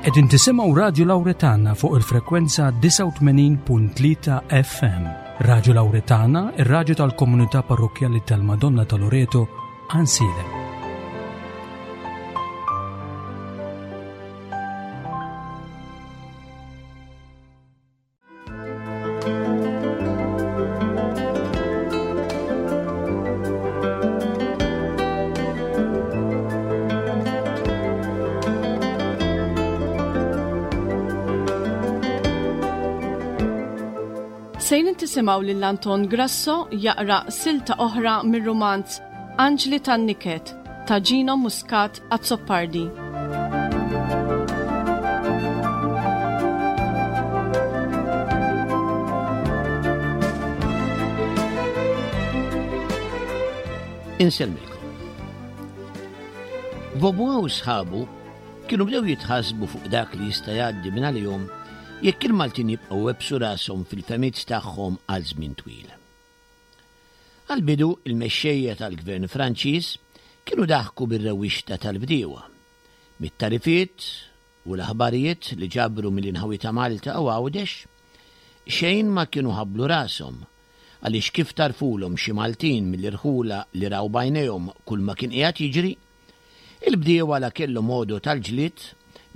Qegħdin tisimgħu Radju Lawretana fuq il-frekwenza 89.3 FM. Radju Lawretana, ir-radju tal-komunità parrokkjali tal-Madonna ta' Loreto, Ansilem. Sejn intisimgħu lil Anton Grasso jaqra silta oħra mir-rumanz Anġli tan-Niket ta' Gino Muscat Azzopardi. Insellmilkom. Vaubois u sħabu kienu bdew jitħassbu fuq dak li jista' jgħaddi minn għalihom jekk il-Maltin jibqgħu webbsu rashom fil-fehmiet tagħhom għal żmien twil. Għall-bidu, il-mexxejja tal-gvern Franċiż kienu daħku bir-rewwixta tal-bdiewa, mit-tagħrifiet u l-aħbarijiet li ġabru mill-inħawi ta' Malta u Għawdex. Xejn ma kienu ħabblu rashom, għaliex kif tgħarrfulhom xi Maltin mill-irħula li raw b'għajnejhom kulma kien qiegħed jiġri, il-bdiewa la kellhom għodod għall-ġlied,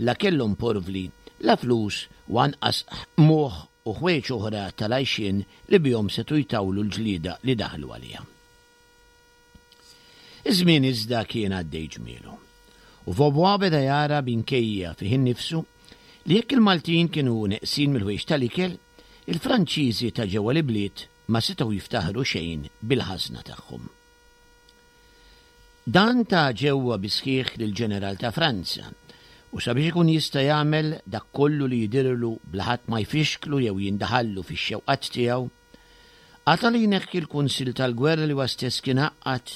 la kellhom porvli, la flus u anqas qmuħ u ħwejjeġ oħra tal-għajxien li bihom setgħu jtawlu l-ġlieda li daħlu għaliha. Iż-żmien iżda kien għaddej ġmielu, u Vaubois beda jara minkejja fih innifsu li jekk il-Maltin kienu neqsin mill-ħwejjeġ tal-ikel, il-Franċiżi ta' ġewwa l-ibliet ma setgħu jiftaħru xejn bil-ħażna tagħhom. Dan ta ġewwa bis-sħiħ lill-Ġeneral ta' Franza, u sabiex ikun jista' jagħmel dak kollu li jidhirlu bla ħadd ma jfixklu jew jindaħallu fix-xewqat tiegħu, qata' li jneħħi l-Kunsill tal-Gwerra li huwa stess kien għaqqad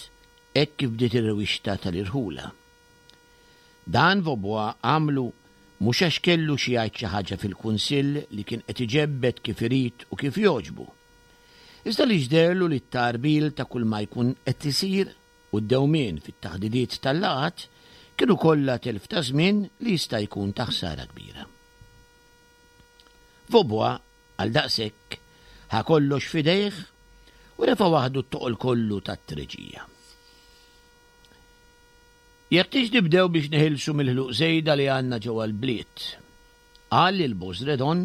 hekk kif bdiet ir-rewwixta tal-irħula. Dan Vaubois għamlu mhux għax kellu xi jgħid xi ħaġa fil-Kunsill li kien qed iġebbed kif irid u kif jogħġbu, iżda għaliex deherlu li t-tgħarbil ta' kull ma jkun qed isir u d-dewmien fit-taħdidiet tal-laqgħat kienu kollha telf ta' żmien li jista' jkun ta' ħsara kbira. Vaubois, għaldaqshekk, ħa kollox f'idejh u refa' waħdu t-toqol kollu tat-treġija. Jeħtieġ nibdew biex neħilsu mill-ħluq żejda li għandna ġewwa l-bliet, qal lil Bosredon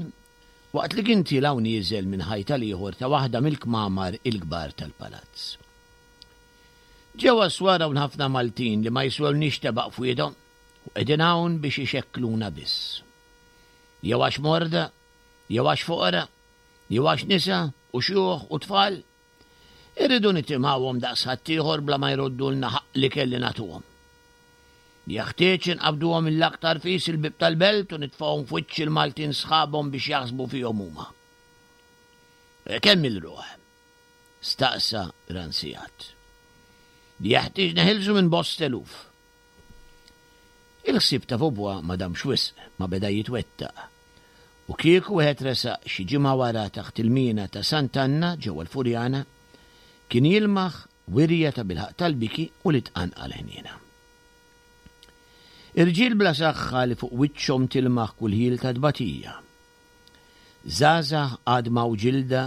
waqt li kien tiela' u nieżel minn ħajt għal ieħor ta' waħda mill-kmamar il-kbar tal-palazz. Ġewwa s-swar hawn ħafna Maltin li ma jiswewniex tebaq f'wiedhom u qegħdin hawn biex ixekkluna biss. Jew għax morda, jew għax foqra, jew għax nisa u xjuħ u tfal. Irridu nitimgħuhom daqs ħaddieħor bla ma jroddulna ħaqq l-ikel li nagħtuhom. Jeħtieġ inqabbduhom mill-aktar fis il-bieb tal-belt u nitfgħuhom f'wiċċ il-Maltin sħabhom biex jaħsbu fihom huma. Kemm-il ruħ? staqsa Ranciat. Jeħtieġ neħilsu minn bost eluf. Il-ħsieb ta' Vaubois ma damx wisq ma beda jitwettaq, u kieku wieħed resaq xi ġimgħa wara taħt il-mina ta' Sant'Anna ġewwa l-Furjana, kien jilmaħ wirja tabilħaqq tal-biki u li tqanqal ħniena. Irġiel bla saħħa li fuq wiċċhom tilmaħ kull ħjiel ta' tbatija. Żgħażagħ għadma u ġilda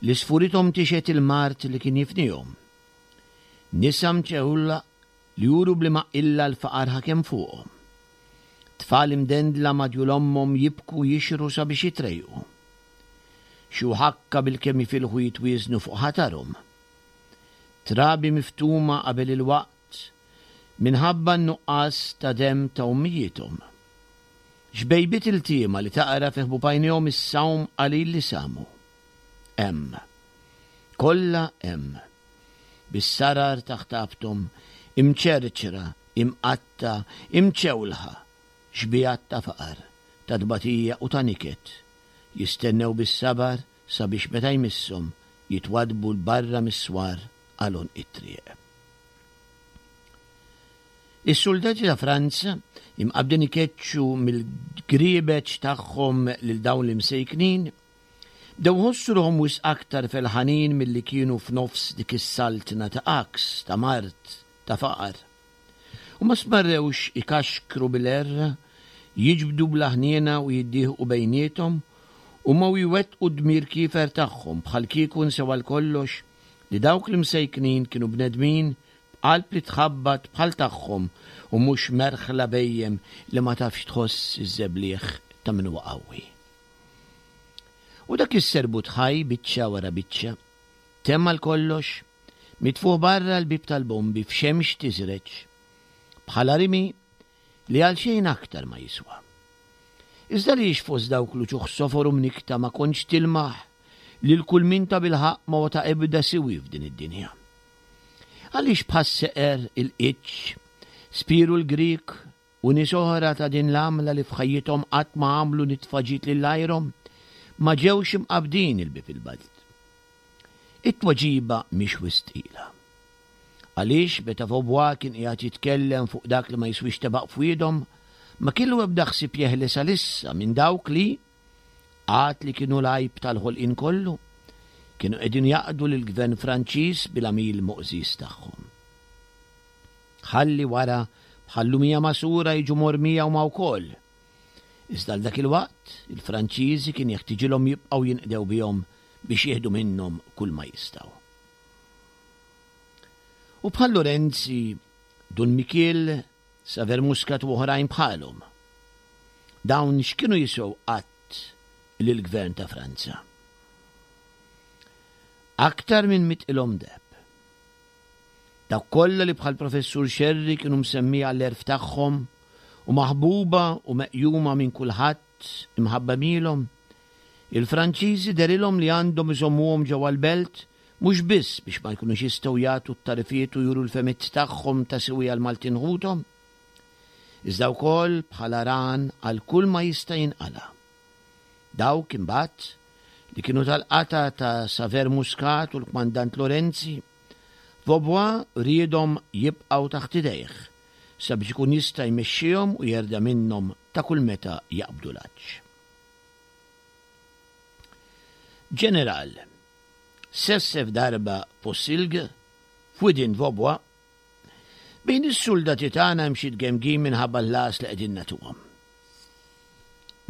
li sfurithom tixhed il-mard li kien jifnihom. Nisa mċeħula li juru b'liema qilla l-faqar ħakem fuqhom. Tfal imdendla ma' djul ommhom jibku jixrhu sabiex jitrejqu. Xi ħakka bilkemm jifilħu jitwieżnu fuq ħatarhom. Trabi miftuma qabel il-waqt minħabba n-nuqqas ta' demm ta' ommijiethom. Xbejbiet iltiema li taqra fi ħbub għajnejhom is-sawm qalil li samu. Hemm. Kollha hemm. Bis-sarar taħt għabthom, imċerċra, imqattgħa, imċewlħa, xbigħat ta' faqar, ta' tbatija u ta' niket, jistennew bis-sabar sabiex meta jmisshom jitwaddbu 'l barra mis-swar għal għonq it-triq. Is-suldati ta' Franza, imqabbdin ikeċċu mill-griebeġ tagħhom lil dawn l-imsejknin, Bdew iħossu ruħhom wisq aktar felħanin milli kienu f'nofs dik is-saltna ta' għaks, ta' mard, ta' faqar. U ma stmerrewx ikaxkru bil-għerra Jiġbdu bla ħniena u jiddieħqu bejniethom, huma u jwettqu d-dmir kiefer tagħhom bħalkieku nsew għal kollox li dawk l-imsejknin kienu bnedmin b'qalb li tħabbat bħal tagħhom u mhux merħla bhejjem li ma tafx tħoss iż-żebliħ ta' min huwa qawwi. U dak is-serbut ħaj biċċa wara biċċa, temm għal kollox, mitfugħ barra l-bieb tal-bombi f'xemx tiżreġ, bħala rimi li għal xejn aktar ma jiswa. Iżda għaliex fost dawk l-uċuħ sofor u mnikkta ma kontx tilmaħ lil kull min tabilħaqq ma huwa ta' ebda siwi f'din id-dinja? Għaliex bħas-seqer, il-qiċċ, Spiru l-Grieg u nies oħra ta' din l-għamla li f'ħajjithom qatt ma għamlu nitfa ġid lil għajrhom, ma ġewx imqabbdin il-bieb il-belt? It-tweġiba mhix wisq tqila. Għaliex meta Vaubois kien qiegħed jitkellem fuq dak li ma jiswiex tebaq f'wiedhom, ma kellu ebda ħsieb jeħles għalissa minn dawk li, għad li kienu l-għajb tal-ħolqien kollu, kienu qegħdin jaqdu lill-gvern Franċiż bil-għamil moqżież tagħhom. Ħalli wara bħal lumija magħsura jiġu mormija huma wkoll. Iżda għal dak il-waqt, il-Franċiżi kien jeħtiġilhom jibqgħu jinqdew bihom biex jieħdu minnhom kulma jistgħu. U bħal Lorenzi, Dun Mikiel, Saver Muscat u oħrajn bħalhom. Dawn x'kienu jiswew qatt lill-gvern ta' Franza? Aktar minn mitqilhom deheb. Dawk kollha li bħall-Professur Scerri kienu msemmija għall-għerf tagħhom u maħbuba u meqjuma minn kulħadd imħabba għemilhom, il-Franċiżi dehrilhom li għandhom iżommuhom ġewwa l-belt mhux biss biex ma jkunux jistgħu jagħtu t-tagħrifiet u juru l-fehmiet tagħhom ta' siwi għall-Maltin ħuthom, iżda wkoll bħala rahan għal kull ma jista' jinqala'. Dawk, imbagħad, li kienu tal-qatgħa ta' Saver Muscat u l-Kmandant Lorenzi, Vaubois riedhom jibqgħu taħt idejh sabiex ikun jista' jmexxihom u jerda' minnhom ta' kull meta jaqbdu l-għatx. Ġeneral, sessef darba Possilg f'widien Vaubois, Bejn is-suldati tagħna hemm xi tgemgim minħabba l-ħlas li qegħdin nagħtuhom.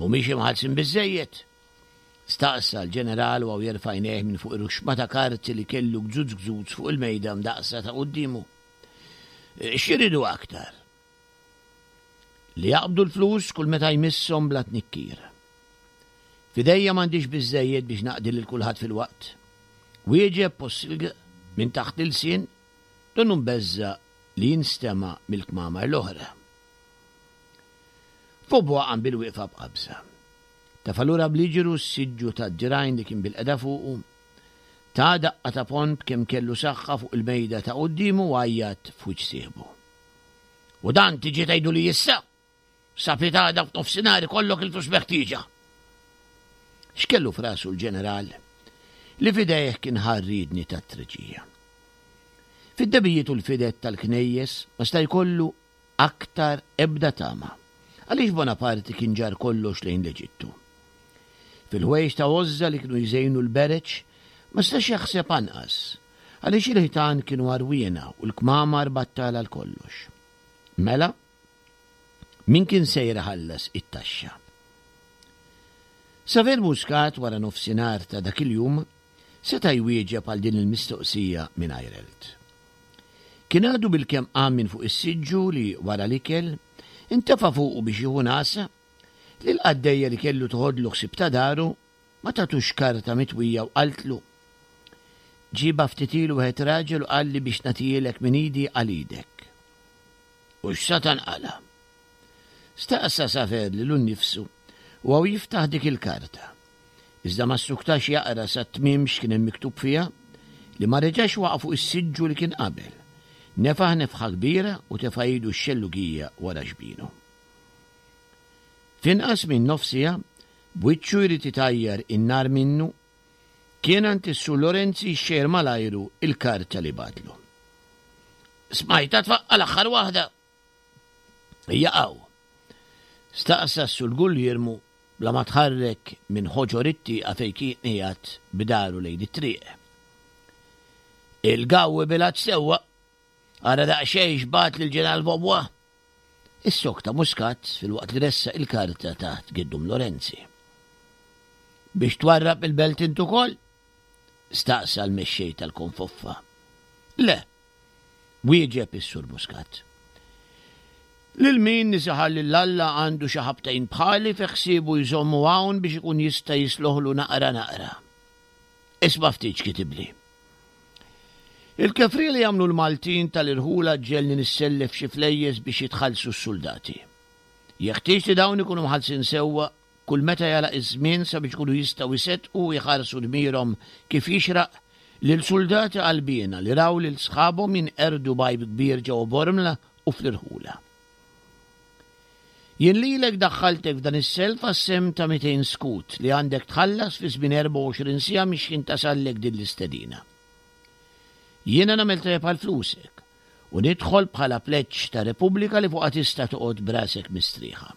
Mhumiex imħallsin biżżejjed? Staqsa l-ġeneral u jerfa' għajnejh minn fuq ir-ruxxma ta' karti li kellu gzuz gzuz fuq il-mejda mdaqqsa ta' quddiemu. X'iridu aktar? Li jaqbdu l-flus kull meta jmisshom bla tnikkir. F'idejja m'għandix biżżejjed biex naqdi lil kulħadd filwaqt. Wieġeb Possilg minn taħt l-ilsien, donnu mbeżża' li jinstema' mill-kmamar l-oħra. Vaubois qam bil-wieqfa b'qabża. Tefa' lura bl-iġru s-siġġu tad-dirgħajn li kien bilqiegħda fuqu, ta daqqa ta' ponn b'kemm kellu saħħa fuq il-mejda ta' quddiemu u għajjat f'wiċċ sieħbu. U dan tiġi tgħiduli issa? Sa pitgħada f'nofsinhar ikollok il-flus meħtieġa. X'kellu f'rasu l-ġeneral li f'idejh kien ħa r-riedni tat-treġija? Fid-debijiet u l-fided tal-knejjes ma sta' jkollu aktar ebda tama, għaliex Bonaparte kien ġarr kollox lejn l-Eġittu. Fil-ħwejjeġ ta' għożża li kienu jżejnu l-bereġ ma stax jaħseb anqas, għaliex il-ħitan kienu għarwiena u l-kmamar battala għal kollox. Mela, min kien sejjer iħallas it-taxxa? Saver Muscat wara nofsinhar ta' dak il-jum seta' jwieġeb għal din il-mistoqsija mingħajr għelt. Kien għadu bilkemm qam minn fuq is-siġġu li wara l-ikel intefa' fuqu biex jieħu nagħsa li l-qaddejja li kellu toħodlu ħsieb ta' daru ma tatux karta mitwija u qaltlu, Ġiebha ftit ilu wieħed raġel u qalli biex nagħtihielek minn idi għal idek. U x'satan qala'? Staqsa Safer lilu nnifsu u hawn jiftaħ dik il-karta. Iżda ma ssuktax jaqra sat-tmiem x'kien hemm miktub fiha, li ma reġax waqa' fuq is-siġġu li kien qabel. Nefaħ nefħa kbira u tefa' idu x-xellugija wara xbinu. F'inqas minn nofs siegħa, b'wiċċu jrid itajjar in-nar minnu, kien għand is-Sur Lorenzi jxejjer mal-ajru l-karta li bagħatlu. Smajtha tfaqqa' l-aħħar waħda! Hija hawn? Staqsa s-Sur Gulliermu bla ma tħarrek minn ħoġor it-tieqa fejn kien qiegħed b'daru lejn it-triq. Il-gawwi bilgħat sewwa! Ara daqsxejn x'bagħat lill-Ġeneral Vaubois! Issokta Muscat filwaqt li ressaq il-karta taħt Giddum Lorenzi. Biex twarrab il-belt int ukoll? staqsa l-mexxej tal-konfoffa. Le, wieġeb is-Sur Muscat. Lil min nisaħar lil Alla għandu xi ħabtejn bħali fi ħsiebu jżommu hawn biex ikun jista' jisloħlu naqra naqra. Isma' ftit x'kitibli. Il-kefrija li jagħmlu l-Maltin tal-irħula ġġegħelni nissellef xi flejjes biex jitħallsu s-suldati. Jeħtieġ li dawn ikunu mħallsin sewwa kull meta jagħlaq iż-żmien sabiex ikunu jistgħu jseddqu u jħarsu dmirhom kif jixraq lil suldati qalbiena li raw lil sħabhom jinqerdu b'għajb kbir ġewwa Bormla u fl-irħula. Jien lilek daħħaltek f'dan is-self għas-sehem ta' 200 skud li għandek tħallas fi żmien 24 siegħa mix-xħin tasallek din l-istedina. Jiena nagħmel tajjeb għal flusek u nidħol bħala pleġġ ta' Repubblika li fuqha tista' toqgħod b'rasek mistrieħa.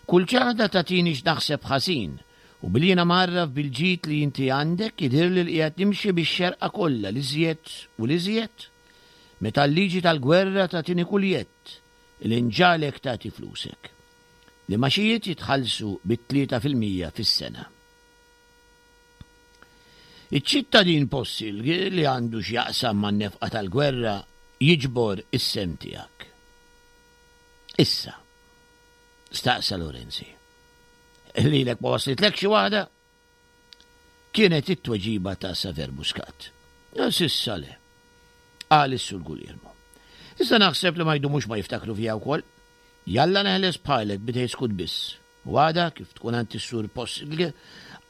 Kull ċaħda tagħtini x'naħseb ħażin u billi jiena mgħarraf bil-ġid li inti għandek jidhirli li qiegħed nimxi bix-xerqa kollha l-iżjed u l-iżjed meta l-liġi tal-gwerra tagħtini kull jedd li nġagħlek tagħti flusek. L-imgħaxijiet jitħallsu bit-3% fis-sena. Iċ-ċittadin Possilg li għandu x'jaqsam man-nefqa tal-gwerra jiġbor is-sehem tiegħek. Issa, staqsa Lorenzi, lilek ma waslitlekx xi waħda? Kienet it-tweġiba ta' Saver Muscat. S'issa le, qal is-Sur Guglielmo. Iżda naħseb li ma jdumux ma jiftakru fija wkoll. Jalla neħles bħalek bidej skut biss. U għada, kif tkun għand is-Sur Possilg,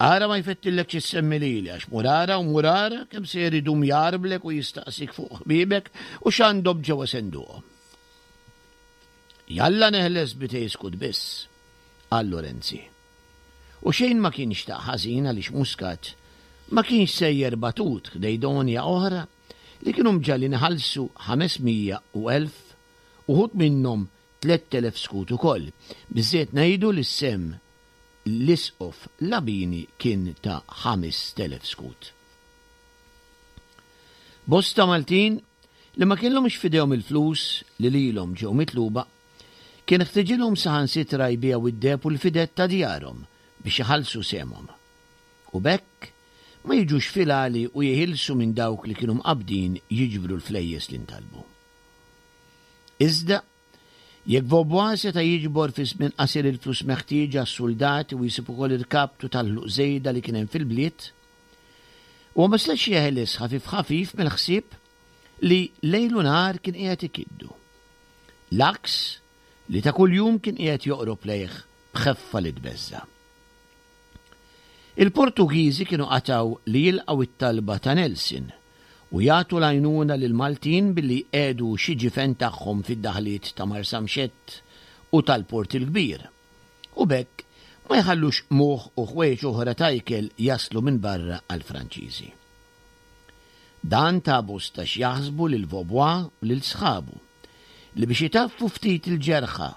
ara ma jfettillekx issemmi lili għax mur ara u mur ara kemm sejjer idum jgħarblek u jistaqsik fuq ħbiebek u x'għandhom ġewwa senduqhom. Jalla neħles b'idej skut biss, qal Lorenzi. U xejn ma kien xtaq ħażin għaliex Muscat ma kienx sejjer batut ħdej donja oħra li kienu mġagħlin iħallsu 500 u 1000, uħud minnhom 3000 skud ukoll. Biżżejjed ngħidu li s-sehem l-Isqof Labini kien ta' 5000 skud. Bosta Maltin li ma kellhomx f'idejhom il-flus li lilhom ġew mitluba, kien ħtiġilhom saħansitra jbigħu d-deheb u l-fided ta' djarhom biex iħallsu sehemhom. U b'hekk ma jiġux fil-għali u jeħilsu minn dawk li kienu mqabbdin jiġbru l-flejjes li ntalbu. Iżda, jekk Vaubois seta' jiġbor fi żmien qasir il-flus meħtieġa għas-suldati u jsib ukoll irkaptu tal-ħluq żejda li kien hemm fil-bliet, huwa ma setax jeħles ħafif ħafif mill-ħsieb li lejl u nhar kien qiegħed ikiddu. L-għaks li ta' kuljum kien qiegħed joqrob lejh b'ħeffa li tbeżża'. Il-Portugiżi kienu qatgħu li jilqgħu t-talba ta' Nelson u jagħtu l-għajnuna lill-Maltin billi jqiegħdu xi ġifen tagħhom fid-daħliet ta' Marsamxett u tal-Port il-Kbir, u b'hekk ma jħallux qmuħ u ħwejjeġ oħra ta' ikel jaslu minn barra għall-Franċiżi. Dan ta bosta x'jaħsbu lil Vaubois u lil sħabu, li biex itaffu ftit il-ġerħa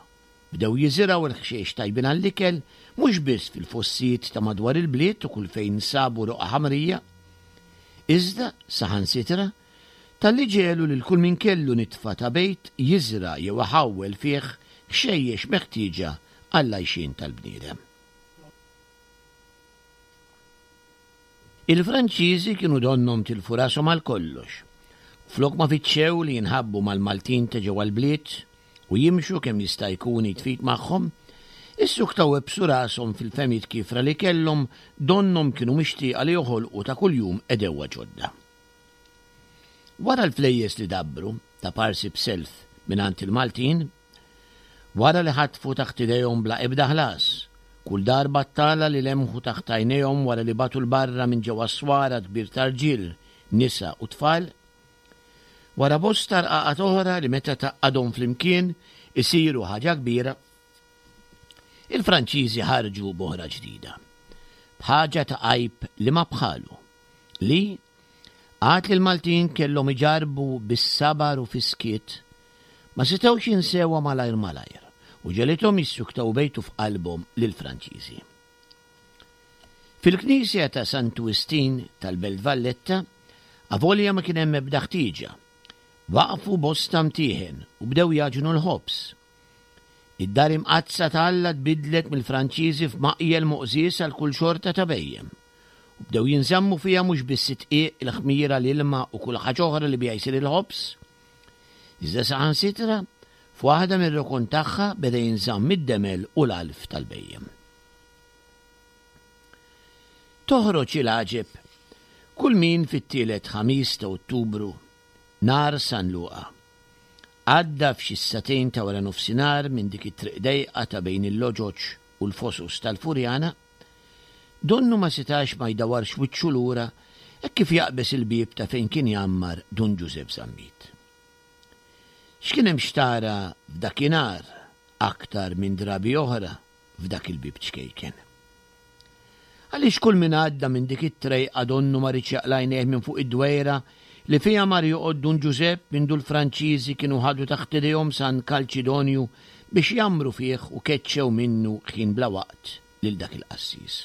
Bdew jiżirgħu l-ħxejx tajbin għall-ikel mhux biss fil-fossijiet ta' madwar il-bliet u kull fejn sabu roqgħa ħamrija, iżda, saħansitra, talli ġegħlu lil kull min kellu nitfa ta' bejt jiżra' jew iħawwel fih ħxejjex meħtieġa għall-għajxien tal-bniedem. Il-Franċiżi kienu donnhom tilfu rashom għal kollox. Flok ma fittxew li jinħabbu mal-Maltin ta' ġewwa l-bliet u jimxu kemm jista' jkun id f'id magħhom, issuktaw iebsu rashom fil-fehmiet kiefra li kellhom donnhom kienu mixtieqa li joħolqu ta' kuljum għedewwa ġodda. Wara l-flejjes li dabbru, ta' parsi b'self mingħand il-Maltin, Wara li ħatfu taħt idejhom bla ebda ħlas, kull dar battala li lemħu taħt għajnejhom wara li bagħtu 'l barra minn ġewwa s-swar għadd kbir ta' rġiel, nisa u tfal, wara bosta rqaqat oħra li meta tgħaqqadhom flimkien isiru ħaġa kbira, il-Franċiżi ħarġu b'oħra ġdida, b'ħaġa ta' għajb li ma bħalu, li, għad li l-Maltin kellhom iġarrbu bis-sabar u fis-skiet, ma setgħux jinsewha malajr malajr u ġegħlithom jissuktaw bejtu f'qalbhom lill-Franċiżi. Fil-knisja ta' Santu Wistin tal-Belt Valletta, avolja ma kien hemm ebda ħtieġa, waqfu bosta mtieħen u bdew jagħġnu l-ħobż. Id-dar imqaddsa ta' Alla tbiddlet mill-Franċiżi f'maqjel moqżież għal kull xorta ta' bhejjem, u bdew jinżammu fiha mhux biss id-dqiq, il-ħmira, l-ilma u kull ħaġa oħra li biha jsir il-ħobż, iżda saħansitra f'waħda mir-rokon tagħha beda jinżamm id-demel u l-għalf tal-bhejjem. Toħroġ il-għaġeb kull min fit-tielet Ħamis ta' Ottubru, nhar San Luqa, Għadda f'xi s-sagħtejn ta' wara nofsinhar minn dik it-triq dejqa ta' bejn il-loġoġ u l-fosos tal-Furjana, donnu ma setax ma jdawwarx wiċċu lura hekk kif jaqbeż il-bieb ta' fejn kien jgħammar Dun Ġużepp Zammit. X'kien hemm x'tara f'dakinhar aktar minn drabi oħra f'dak il-bieb ċkejken? Għaliex kull min għadda minn dik it-trejqa donnu ma riedx jaqla' għajnejh minn fuq id-dwejra li fiha mar joqgħod Dun Ġużepp mindu l-Franċiżi kienu ħadu taħt idejhom San Kalċidonju biex jgħammru fih u keċċew minnu ħin bla waqt lil dak il-qassis.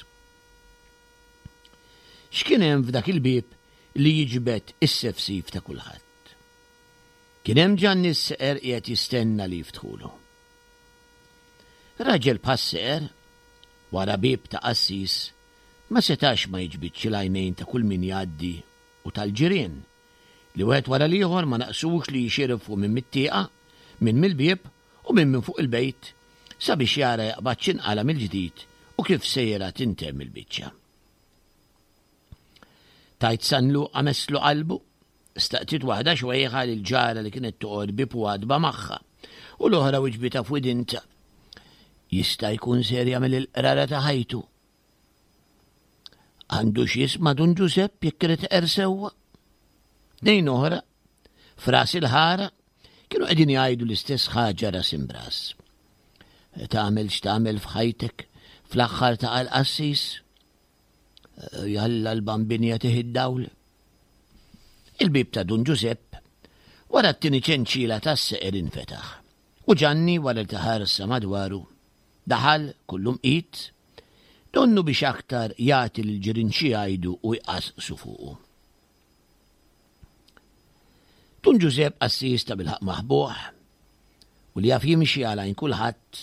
X'kien hemm f'dak il-bieb li jiġbed is-sefsif ta' kulħadd? Kien hemm Ġanni s-seqer qiegħed jistenna li jiftħulu. Raġel bħas-seqer, wara bieb ta' qassis, ma setax ma jiġbidx il-għajnejn ta' kull min jgħaddi u tal-ġirien, li wieħed wara l-ieħor ma naqsux li jixirfu min mit-tieqa, min mill-bieb u min minn fuq il-bejt sabiex jara jaqbadx inqala' mill-ġdid u kif sejra tintemm il-biċċa. Tgħid San Luqa messlu qalbu? Staqsiet waħda xwejħa lil ġara li kienet toqgħod bieb u għatba magħha, u l-oħra wiġbitha f'widintha. Jista' jkun ser jagħmel il-qrara ta' ħajtu. Għandu x'jisma' Dun Ġużepp jekk irid iqer sewwa. Tnejn oħra, f'ras il-ħara, kienu qegħdin jgħidu l-istess ħaġa ras imbras. Tagħmel x'tagħmel f'ħajtek, fl-aħħar taqa' l-qassis. Jalla l-Bambin jagħtih id-dawl. Il-bieb ta' Dun Ġużepp wara t-tieni ċenċila tas-seqer infetaħ u Ġanni wara li ta ħarsa madwaru daħal kullu mqit, donnu biex aktar jagħti lill-ġirien xi jgħidu u jqasqsu fuqu. Dun Ġużepp qassis ta' bilħaqq maħbuħ u li jaf jimxi għal għajn kulħadd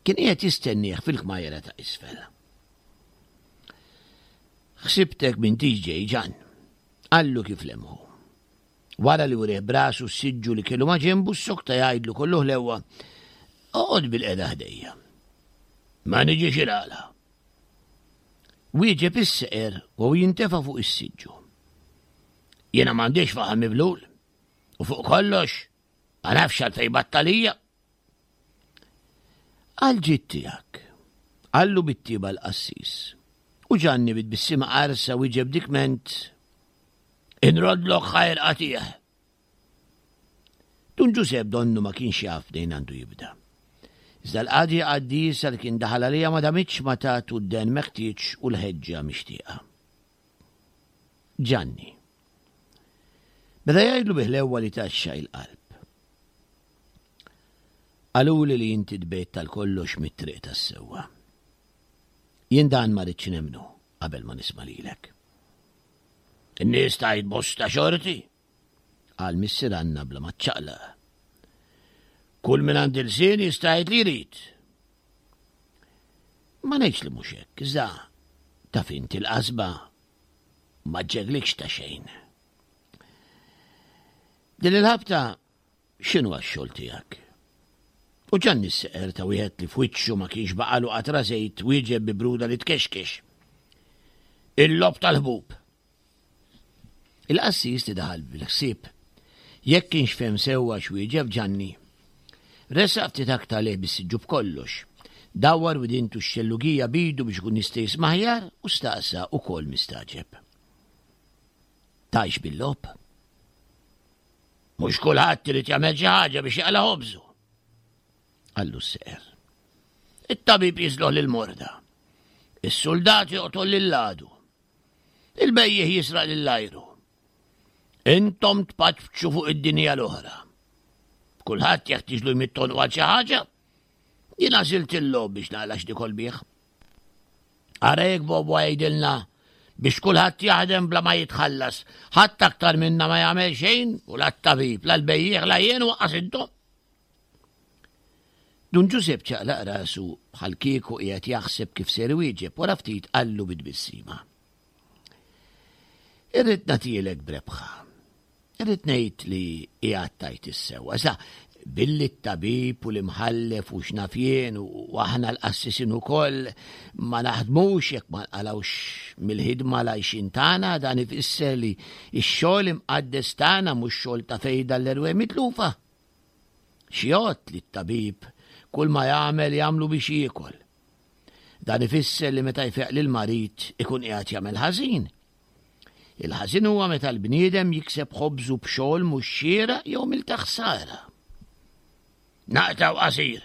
kien qiegħed jistennieh fil-kmajra ta' isfel. Ħsibtek m'intix ġej, Ġann, qallu kif lemħu. Wara li wrieh b'rasu s-siġġu li kellu ma' ġenbu ssokta jgħidlu kollu ħlewwa, Oqgħod bilqiegħda ħdejja. Ma niġix il-għala. Wieġeb is-seqer u jintefa' fuq is-siġġu. Jiena m'għandix faħam miblul u fuq kollox ma nafx għalfejn battalija. Għal ġid tiegħek, qallu bit-tieba l-qassis. U Ġanni bi tbissima qarsa wieġeb dikment, Inroddlok ħajr qatih. Dun Ġużepp donnu ma kienx jaf mnejn għandu jibda. Iżda l-qadja qaddisa li kien daħal għaliha ma damitx ma tatu d-den meħtieġ u l-ħeġġa mixtieqa. Ġanni. Beda jgħidlu bi ħlewwa li tgħaxxaq il-qalb. Qaluli li inti tbegħidt tal-kollox mit-triq tas-sewwa. Jien dan ma ridtx nemmnu qabel ma nisma' lilek. In-nies tgħid bosta xorti, qal Missier Anna bla ma ċċaqlaq. Kull min għand ilsien jista' jgħid li jrid. Ma ngħidx li mhux hekk, iżda taf inti l-qasba ma ġġeglikx ta' xejn. Din il-ħabta X'inhuwa x-xogħol tiegħek? U Ġanni s-seqer ta' wieħed li f'wiċċu ma kienx baqalu qatra żejt wieġeb bi bruda li tkexkex. Il-logħob tal-ħbub. Il-qassis li daħal bil-ħsieb jekk kienx fehem sewwa x'wieġeb Ġanni. Resaq ftit aktar lejh bis-siġġu b'kollox. Dawwar widintu x-xellugija b'idu biex ikun jista' jisma' aħjar u staqsa ukoll mistagħġeb. Tgħix bil-logħob? Mhux kulħadd irid jagħmel xi ħaġa biex jaqla' ħobżu. Qallu s-seqer. It-tabib jiżloħ lil morda. Is-suldat joqtol lil għadu. Il-bejjiegħ jisraq lil ajru. Intom tpaċċu fuq id-dinja l-oħra. Kulħadd jeħtieġlu jmitt għonqu għal xi ħaġa. Jien għażilt il-logħob biex naqla' x'nikol bih. Ara jekk Bobo jgħidilna biex kulħadd jaħdem bla ma jitħallas. Ħadd aktar minna ma jagħmel xejn u la t-tabib, la l-bejjiegħ, la jien u waqqas intom. Dun Ġużepp ċaqlaq rasu bħal kieku qiegħed jaħseb kif ser iwieġeb wara ftit qallu bi tbissima. Irrid nagħtielek b'rebħa. Irrid ngħid li qiegħed tgħid is-sewwa. Iżda billi t-tabib u l-imħallef u x'naf jien u aħna l-qassisin ukoll ma naħdmux jekk ma nqalgħux mill-ħidma l-għajxien tagħna, dan ifisser li x-xogħol imqaddes tagħna mhux xogħol ta' fejda l-erwieħ mitlufa. X'jgħodd li t-tabib kull ma jagħmel jagħmlu biex jiekol. Dan ifisser li meta jfeq lil marid ikun qiegħed jagħmel ħażin. Il-ħażin huwa meta l-bniedem jikseb ħobżu b'xogħol mhux xieraq jew mil ta' ħsara. Naqtgħu qasir.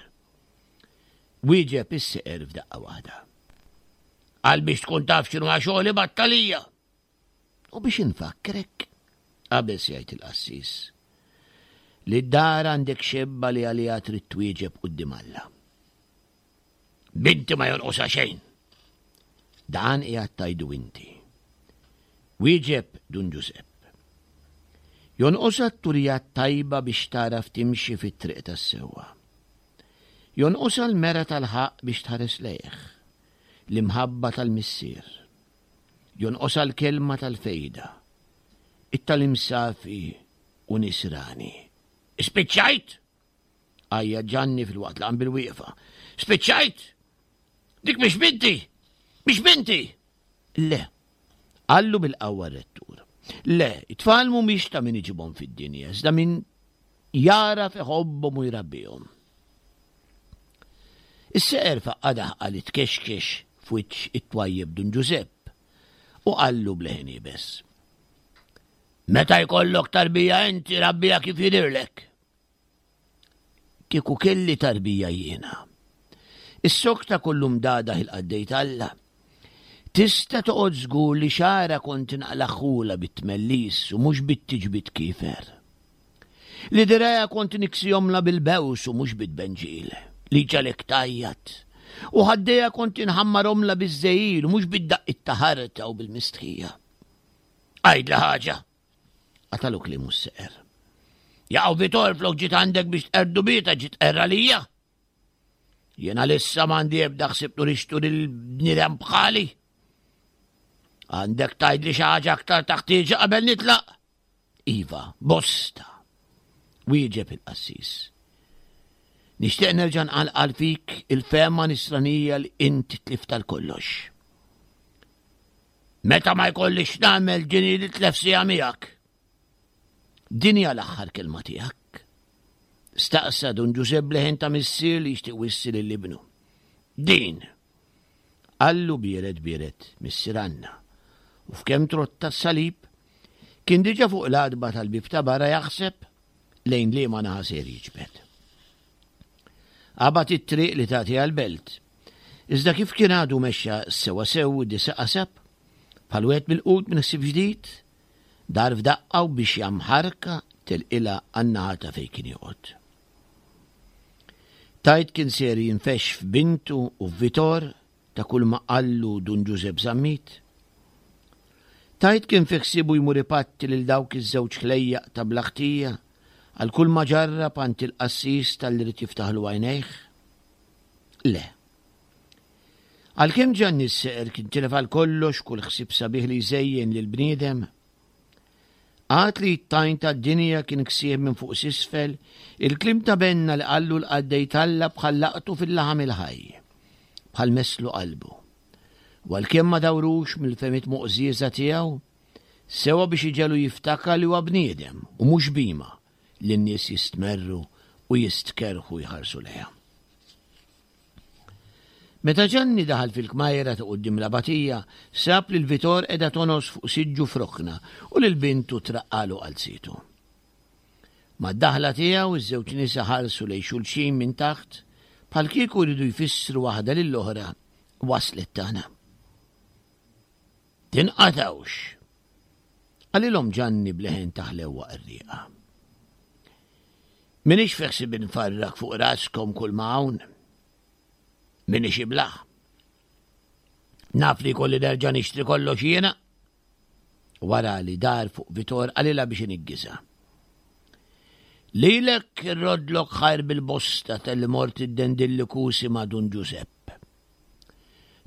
Wieġeb is-seqer f'daqqa waħda. Għal biex tkun taf x'inhu xogħli battalija. U biex infakkrek, qabeż jgħid il-qassis, li d-dar għandek xebba li għaliha trid twieġeb quddiem Alla. Binti ma jonqosha xejn. Dan qiegħed tajdu inti. Wieġeb Dun Ġużepp. Jonqosha t-turija tajba biex tagħraf timxi fit-triq tas-sewwa. Jonqosha l-mera tal-ħaqq biex tħares lejh, l-imħabba tal-Missier. Jonqosha l-kelma tal-fejda, it-tagħlim safi u nisrani. Spiċċajt! Għajjat Ġanni filwaqt li qam bil-wieqfa. Spiċċajt! Dik mhix binti! Mhix binti! Le, qallu bil-qawwa r-rettur. Le, it-tfal mhumiex ta' min iġibhom fid-dinja, iżda min jagħraf iħobbhom u jrabbihom. Is-seqer faqqa' daħqa li tkexkex f'wiċċ it-twajjeb Dun Ġużepp u qallu b'leħen iebes. Meta jkollok tarbija inti rabbiha kif jidhirlek. Kieku kelli tarbija jiena. Is-sokta kollu mdagħdah il-qaddej t'Alla. Tista' toqgħod żgur li xagħarha kont naqlagħhulha bit-tmellis u mhux bit-tiġbid kiefer. Li dirgħajha kont niksihomlha bil-bews u mhux bit-tbenġil, li jġagħlek tgħajjat. U ħaddejha kont inħammarhomlha biż-żegħil u mhux bid-daqqiet ta' ħarta u bil-mistħija. Għidli ħaġa! Qatalu kliemu s-seqer. Jaqaw Vitor flok ġiet għandek biex tqerdu bieta ġiet tqerra lija. Jiena lissa m'għandi ebda ħsieb turixtu lil bniedem bħali. Għandek tgħidli xi ħaġa aktar taħtieġa qabel nitlaq? Iva, bosta. Wieġeb il-qassis. Nixtieq nerġa' nqalqal fik il-fehma nisranija li inti tlift għal kollox. Meta ma jkollix nagħmel din li tlef siegħa miegħek. Din hija l-aħħar kelma tiegħek. Staqsa Dun Ġużepp b'leħen ta' missier li jixtieq wissi lil ibnu. Din! Qallu biered biered missier Anna. U f'kemm trotta s-salib, kien diġà fuq l-għatba tal-bieb ta' barra jaħseb lejn liema naħa ser jiġbed. Qabad it-triq li tagħti għall-belt. Iżda kif kien għadu mexxa sewwa sew disa' qasab, bħal wieħed milqut minn ħsieb ġdid, dar f'daqqa u biex jamħarka telqilha għan-naħa ta' fejn kien joqgħod. Tgħid kien ser jinfexx f'bintu u f'Vitor ta' kull ma qallu Dun Ġużepp Zammit? Tgħid kien fi ħsiebu jmur ipatti lil dawk iż-żewġ ħlejjaq ta' bla ħtija għal kull ma ġarrab għand il-qassis talli ried jiftaħlu għajnejh? Le. Għalkemm Ġanni s-Seqer kien tilef għal kollox kull ħsieb sabiħ li jżejjen lill-bniedem, Għad li t-tajn tad-dinja kien ksieħ minn fuq s'isfel, il-kliem ta' Benna li qallu l-qaddej t'Alla bħal laqtu fil-laħam il-ħaj, bħal messlu qalbu. U għalkemm ma dawrux mill-fehmiet moqżieża tiegħu, sewa biex iġegħlu jiftakar li huwa bniedem u mhux bhima li n-nies jistmerru u jistkerrħu jħarsu lejha. Meta Ġanni daħal fil-kmajra ta' quddiem l-abatija, sab lil Vitor qiegħda tongħos fuq siġġu f'rokna u lil bintu traqqalu qalzietu. Mad-daħla tiegħu, iż-żewġ nisa ħarsu lejn xulxin minn taħt, bħalkieku jridu jfissru waħda lill-oħra waslet tagħna. Tinqatgħux! Qalilhom Ġanni b'leħen ta' ħlewwa qerrieqa. M'iniex fi ħsibi nfarrak fuq raskom kull ma hawn. M'iniex iblah. Naf li jkolli nerġa' nixtri kollox jiena. Wara li dar fuq Vitor qalilha biex iniggizha. Lilek irroddlok ħajr bil-bosta talli mort iddendilli kusi ma' Dun Ġużepp.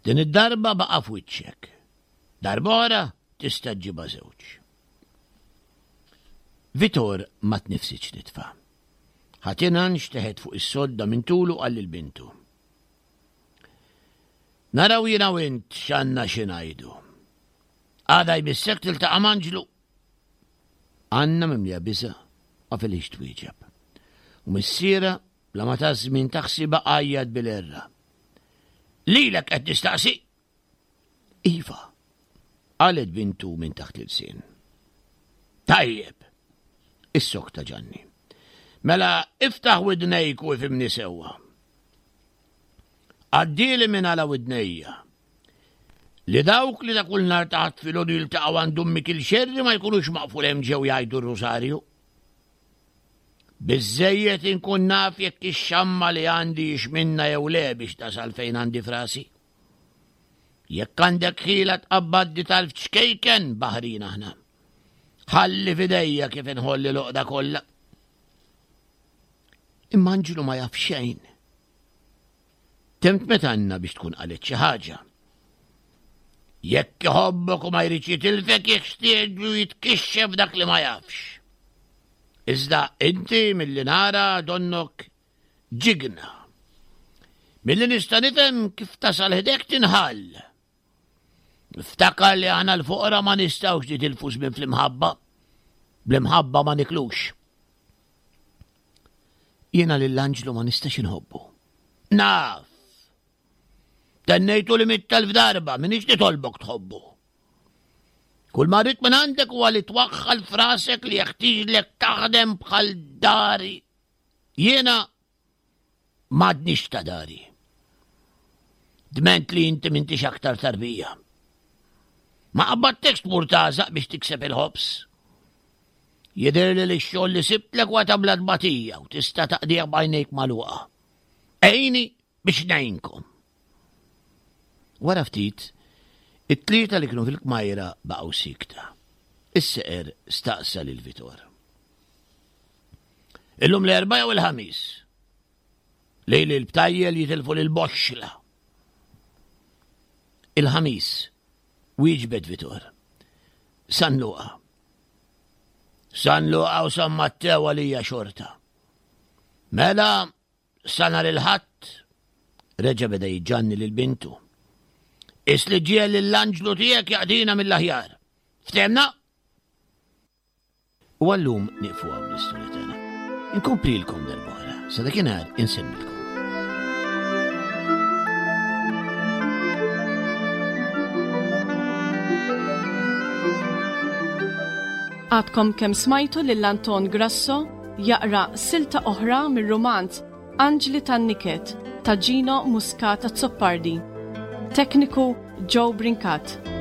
Din id-darba baqa' f'wiċċek. Darb'oħra tista' ġġibha żewġ. Vitor ma tnifsitx nitfa. Ħatina nxteħet fuq is-sodda minn tulu qal lil bintu. Naraw jiena u int x'għandna xi ngħidu. Għada jmissek tiltaqa' m'Anġlu. Anna mimlija biża' ma felix twieġeb. U missierha bla ma ta żmien taħsibha għajjat bil-għerra. Lilek qed nistaqsi! Iva, qalet bintu minn taħt l-ilsien. Tajjeb, issokta Ġanni. Mela iftaħ widnejk u ifhimni sewwa. Għaddieli minn għala widnejja li dawk li ta' kull nhar ta' Ħadd filgħodu jiltaqgħu għand Ummi Kilxerri ma jkunux maqful hemm ġew jgħidu r-Rusarju. Biżżejjed inkun naf jekk ix-xamma li għandi hix minna jew le biex tasal fejn għandi frasi. Jekk għandek ħila tqabbad di talf ċkejken baħrin aħna. Ħalli f'idejja kif inħolli l-oqda kollha. Imma Anġlu ma jaf xejn. Temtmet Anna biex tkun qalet xi ħaġa. Jekk iħobbok u ma jridx jitilfek jeħtieġu jitkixxef dak li ma jafx. Iżda inti milli nara donnok ġigna. Milli nista' nifhem kif tasal ħdek tinħall. Niftakar li aħna l-foqra ma nistgħux nitilfu żmien fl-imħabba. Bl-imħabba ma niklux. Jiena lil Anġlu ma nistax inħobbu. Naf! Tennejtu li mittelf darba, minix nitolbok tħobbu. Kull ma rrid minn għandek huwa li twaħħal frasek li jeħtieġlek taħdem bħal dari. Jiena m'għadnix ta' dari. Dment li inti m'intix aktar tarbija. Ma qabadtekx tmur tagħżaq biex tikseb il-ħobż. Jidhirli li x-xogħol li sibtlek huwa ta' bla tbatija u tista' taqdih b'għajnejk magħluqa. Għini biex ngħinkom. Wara ftit, it-tlieta li kienu fil-kmajra baqgħu sikta. Is-seqer staqsa lil Vitor. Illum l-Erbgħa jew il-Ħamis? Lejl il-btajjel jitilfu lil boxxla. Il-Ħamis, wieġbet Vitor. San Luqa. San Luqa u San Mattew għalija xorta. Mela, sa nhar il-Ħadd, reġa' beda jiġġanni lil bintu. Is li ġiel lill-anġlu tiegħek jaqdina mill-aħjar. Ftehmna? U għallum nieqfu hawn l-istorja tagħna. Inkomplilkom darb'oħra, sa dakinhar insemmilkom. Għadkom kemm smajtu lil Anton Grasso jaqra silta oħra mir-rumanz Anġli tan-Niket ta' Gino Muscat Azzopardi. Tekniku Joe Brincat.